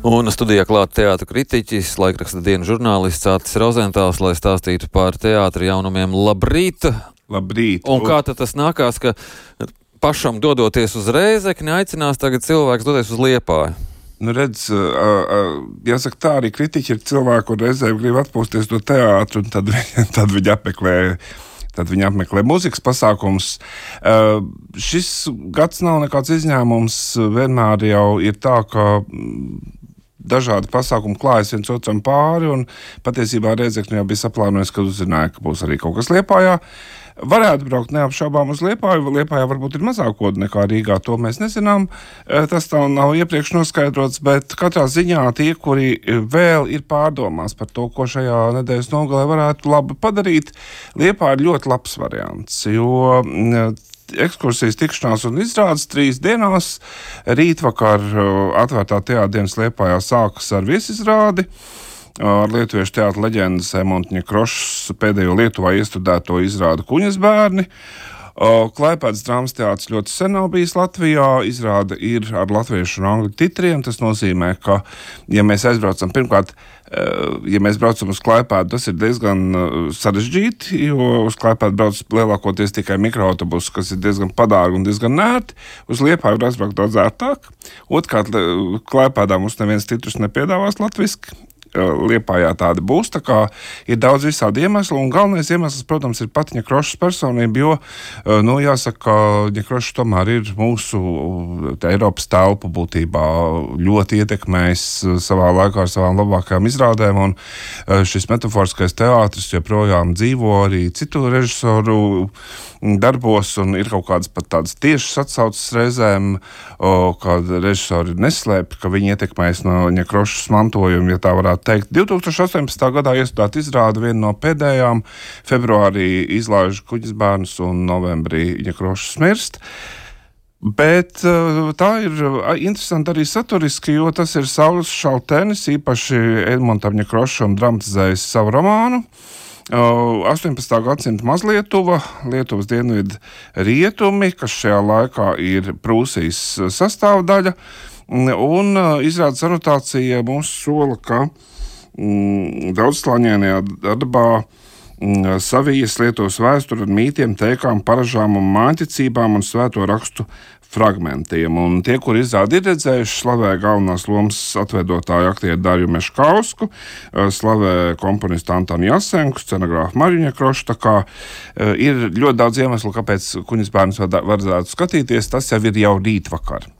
Un studijā klāt teātra kritiķis, laikraksta Diena žurnālists Artis Rozentāls, lai stāstītu par teātra jaunumiem. Labrīt! Labrīt! Un kā tad tas nākās, ka pašam dodoties uz Rēzekni, aicinās tagad cilvēks doties uz Liepāju? Nu redz, jāsaka tā, arī kritiķi ir cilvēki, un reizēm grib atpūsties no teātra, un tad viņi apmeklē mūzikas pasākums. Šis gads nav nekāds izņēmums. Vienmēr jau ir tā, ka dažādi pasākumi klājas viens otram pāri, un patiesībā Rēzekne jau bija saplānojis, kad uzzināja, ka būs arī kaut kas Liepājā. Varētu braukt neapšaubām uz Liepāju. Liepājā varbūt ir mazāk kodu nekā Rīgā, to mēs nezinām. Tas tā nav iepriekš noskaidrots, bet katrā ziņā tie, kuri vēl ir pārdomās par to, ko šajā nedēļas nogalē varētu labi padarīt, Liepāja ir ļoti labs variants, jo ekskursijas, tikšanās un izrādes 3 dienās. Rītvakar atvērtā teātra dienas Liepājā sākas ar viesizrādi ar lietuviešu teātra leģendas Emonta Ņekrošas pēdējo Lietuvā iestudēto izrādi Kuņas bērni. Klaipēdas drāmas teātris ļoti sen nav bijis Latvijā. Izrāde ir ar latviešu un angļu titriem. Tas nozīmē, ka, ja mēs aizbraucam, pirmkārt, ja mēs braucam uz Klaipēdu, tas ir diezgan sarežģīti, jo uz Klaipēdu brauc lielākoties tikai mikroautobusi, kas ir diezgan padārgi un diezgan nērti. Uz Liepāju var aizbraukt daudz ērtāk. Otrkārt, Klaipēdā mums neviens titrus nepiedāvās latviski. Liepājā tāda būs, tā kā ir daudz visādi iemesli, un galvenais iemesls, protams, ir pati Ņekrošas personība, jo, jāsaka, Ņekrošs tomēr ir mūsu Eiropas telpu būtībā ļoti ietekmējis savā laikā ar savām labākajām izrādēm, un šis metaforiskais teātris joprojām dzīvo arī citu režisoru darbos, un ir kaut kādas pat tādas tiešas atsauces reizēm, kad režisori neslēp, ka viņi ietekmējas no Ņekrošas mantojuma, ja tā varētu teikt. 2018. gadā iestudēta izrāde, viena no pēdējām. Februārī izlaiž Kuņas bērnus un novembrī Ņekrošas mirst. Bet tā ir interesanti arī saturiski, jo tas ir Saulis Šaltenis, īpaši Edmontam Ņekrošam dramatizējis savu romānu. 18. gadsimta Mazlietuva, Lietuvas dienvidu rietumi, kas šajā laikā ir Prūsijas sastāvdaļa, un izrādes anotācija mums sola, ka daudzslāņainajā darbā savijas Lietuvas vēsturi ar mītiem, teikām, paražām un māņticībām un svēto rakstu fragmentiem. Un tie, kuri izrādi ir redzējuši, slavē galvenās lomas atveidotāju aktieru Darju Meškausku, slavē komponistu Antonu Jasenku, scenogrāfu Mariju Ņekrošu, tā kā ir ļoti daudz iemeslu, kāpēc Kuņas bērnus vajadzētu skatīties, tas jau ir jau rītvakar.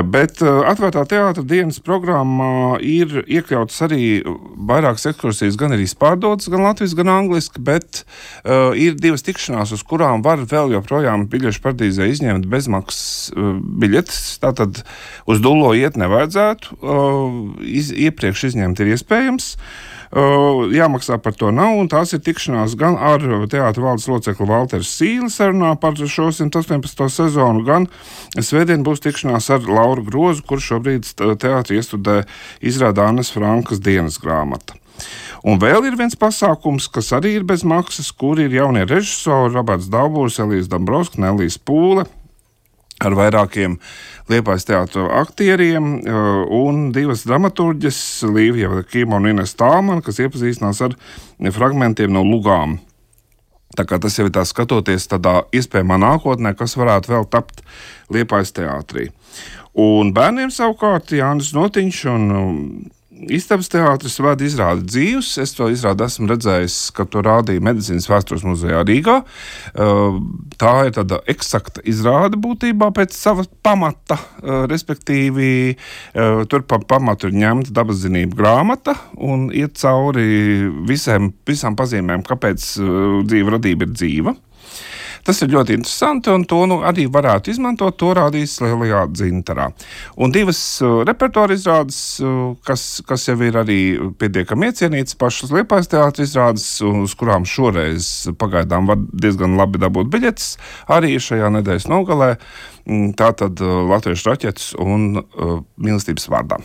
Bet atvērtā teātra dienas programmā ir iekļautas arī vairākas ekskursijas, gan arī pārdotas, gan latviski, gan angliski, bet ir 2 tikšanās, uz kurām var vēl joprojām biļešu paradīzē izņemt bezmaksas biļetes. Tātad uz Dullo iet nevajadzētu, iepriekš izņemt ir iespējams. Jāmaksā par to nav, un tās ir tikšanās gan ar teātra valdes locekli Valteru Sīli sarunā par šo 118. sezonu, gan svētdien būs tikšanās ar Lauru Grozu, kurš šobrīd teātri iestudē izrāda Annas Frankas dienas grāmata. Un vēl ir viens pasākums, kas arī ir bez maksas, kur ir jaunie režisori Roberts Daubūrs, Elīze Dombrovska, Nelijas Pūle, ar vairākiem Liepājas teātra aktieriem un 2 dramaturģes, Līvija Kīma un Ines Tālmana, kas iepazīstinās ar fragmentiem no lugām. Tā kā tas jau ir tā skatoties tādā iespējamā nākotnē, kas varētu vēl tapt Liepājas teātrī. Un bērniem savukārt Jānis Notiņš un Istabas teātris vada izrādi Dzīvs. Es to izrādi esmu redzējis, ka to rādīja Medicīnas vēstures muzejā Rīgā. Tā ir tāda eksakta izrāde būtībā pēc sava pamata, respektīvi tur pa pamatu ir ņemta dabaszinību grāmata un iet cauri visām pazīmēm, kāpēc dzīva radība ir dzīva. Tas ir ļoti interesanti, un to arī varētu izmantot. To rādīs Lielajā Dzintarā. Un 2 repertuāra izrādes, kas jau ir arī pietiekami iecienītas, pašas Liepājas teātra izrādes, uz kurām šoreiz pagaidām var diezgan labi dabūt biļetes, arī šajā nedēļas nogalē. Tātad Latviešu raķetes un Mīlestības vārdā.